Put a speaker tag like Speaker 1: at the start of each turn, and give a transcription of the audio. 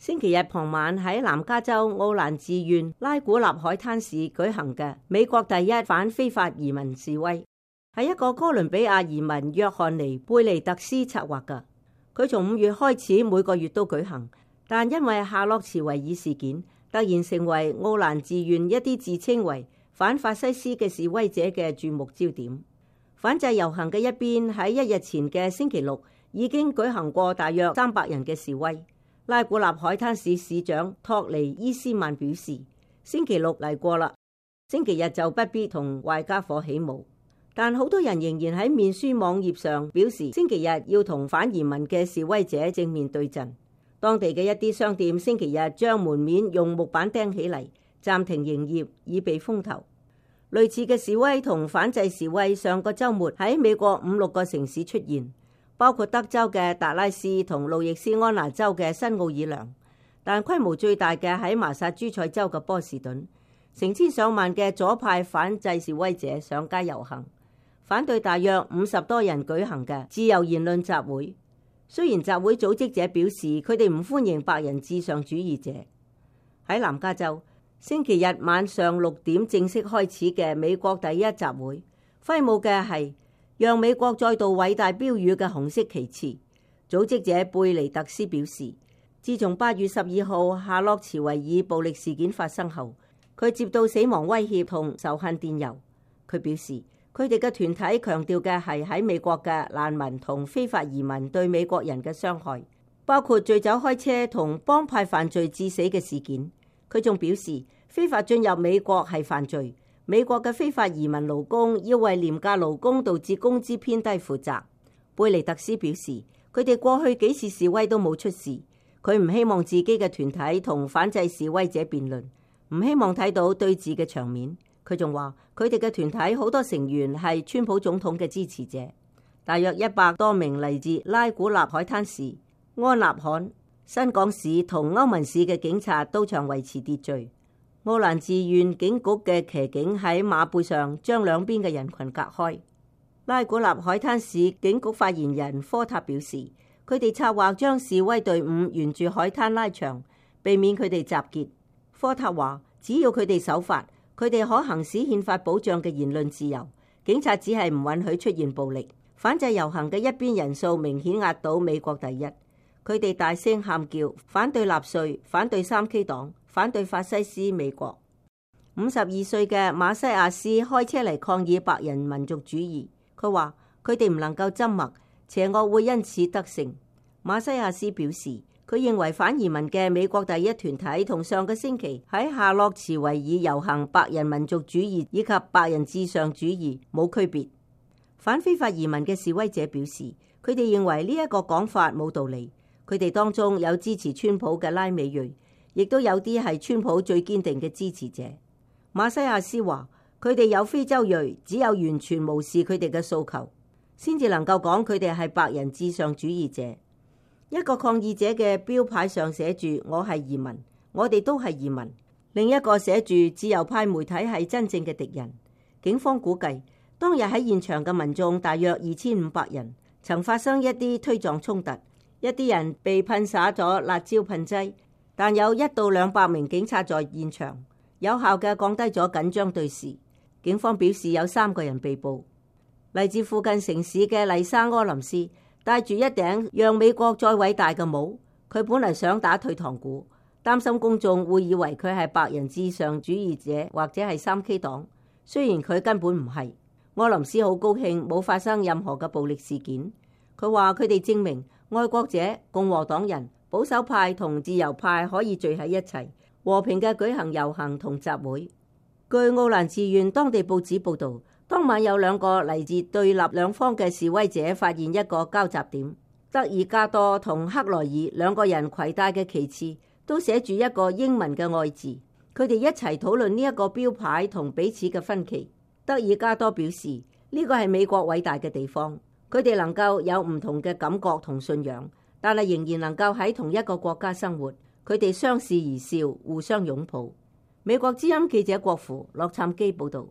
Speaker 1: 星期日傍晚喺南加州奧蘭治縣拉古納海灘市舉行嘅美國第一反非法移民示威，係一個哥倫比亞移民約翰尼貝尼特斯策劃嘅。佢從5月開始每個月都舉行，但因為夏洛茨維爾事件，突然成為奧蘭治縣一啲自稱為反法西斯嘅示威者嘅注目焦點。反制遊行嘅一邊喺1日前嘅星期六已經舉行過大約300人嘅示威。拉古納海灘市市長托尼伊斯曼表示，星期六嚟過啦，星期日就不必同壞家伙起舞。但好多人仍然喺面書網頁上表示，星期日要同反移民嘅示威者正面對陣。當地嘅一啲商店星期日將門面用木板釘起嚟，暫停營業以避風頭。類似嘅示威同反制示威上個週末喺美國5-6個城市出現，包括德州嘅達拉斯同路易斯安那州嘅新奧爾良，但規模最大嘅喺麻薩諸塞州嘅波士頓，成千上萬嘅左派反制示威者上街遊行，反對大約50多人舉行嘅自由言論集會。雖然集會組織者表示佢哋唔歡迎白人至上主義者。喺南加州，星期日晚上6點正式開始嘅美國第一集會，揮舞嘅係讓美國再度偉大標語嘅紅色旗幟。組織者貝尼特斯表示，自從8月12號夏洛茨維爾暴力事件發生後，佢接到死亡威脅同仇恨電郵。佢表示，佢哋嘅團體強調嘅係喺美國嘅難民同非法移民對美國人嘅傷害，包括醉酒開車同幫派犯罪致死嘅事件。佢仲表示，非法進入美國係犯罪。美國嘅非法移民勞工要為廉價勞工導致工資偏低負責。貝尼特斯表示，佢哋過去幾次示威都冇出事。佢唔希望自己嘅團體同反制示威者辯論，唔希望睇到對峙嘅場面。佢仲話，佢哋嘅團體好多成員係川普總統嘅支持者。大約100多名嚟自拉古納海灘市、安納罕、新港市同歐文市嘅警察到場維持秩序。奧蘭治縣警局嘅騎警喺馬背上將兩邊嘅人群隔開。拉古納海灘市警局發言人科塔表示，佢哋策劃將示威隊伍沿住海灘拉長，避免佢哋集結。科塔話，只要佢哋守法，佢哋可行使憲法保障嘅言論自由。警察只係唔允許出現暴力。反制遊行嘅一邊人數明顯壓倒美國第一。佢哋大聲喊叫，反對納粹，反對3K 黨，反對法西斯美國。52歲嘅馬西亞斯開車嚟抗議白人民族主義。佢話佢哋唔能夠緘默，邪惡會因此得勝。馬西亞斯表示，佢認為反移民嘅美國第一團體同上個星期喺夏洛茨維爾遊行白人民族主義以及白人至上主義冇區別。反非法移民嘅示威者表示，佢哋認為呢一個講法冇道理。佢哋當中有支持川普嘅拉美裔，亦都有啲係川普最堅定嘅支持者。馬西亞斯話，佢哋有非洲裔，只有完全無視佢哋嘅訴求，先至能夠講佢哋係白人至上主義者。一個抗議者嘅標牌上寫住我係移民，我哋都係移民。另一個寫住自由派媒體係真正嘅敵人。警方估計當日喺現場嘅民眾大約2500人，曾發生一啲推撞衝突，一啲人被噴灑咗辣椒噴劑，但有1到200名警察在現場，有效嘅降低咗緊張對視。警方表示有3個人被捕。嚟自附近城市嘅麗莎柯林斯戴住一頂讓美國再偉大嘅帽，佢本嚟想打退堂鼓，擔心公眾會以為佢係白人至上主義者或者係3K 黨，雖然佢根本唔係。柯林斯好高興冇發生任何嘅暴力事件。佢話佢哋證明愛國者、共和黨人、保守派同自由派可以聚喺一齊，和平嘅舉行遊行同集會。據奧蘭治縣當地報紙報道，當晚有2個嚟自對立兩方嘅示威者發現一個交集點。德爾加多同克萊爾2個人攜帶嘅旗幟都寫住一個英文嘅愛字。佢哋一齊討論呢一個標牌同彼此嘅分歧。德爾加多表示呢個係美國偉大嘅地方，佢哋能夠有唔同嘅感覺同信仰，但係仍然能夠喺同一個國家生活。佢哋相視而笑，互相擁抱。美國之音記者郭芙洛杉磯報道。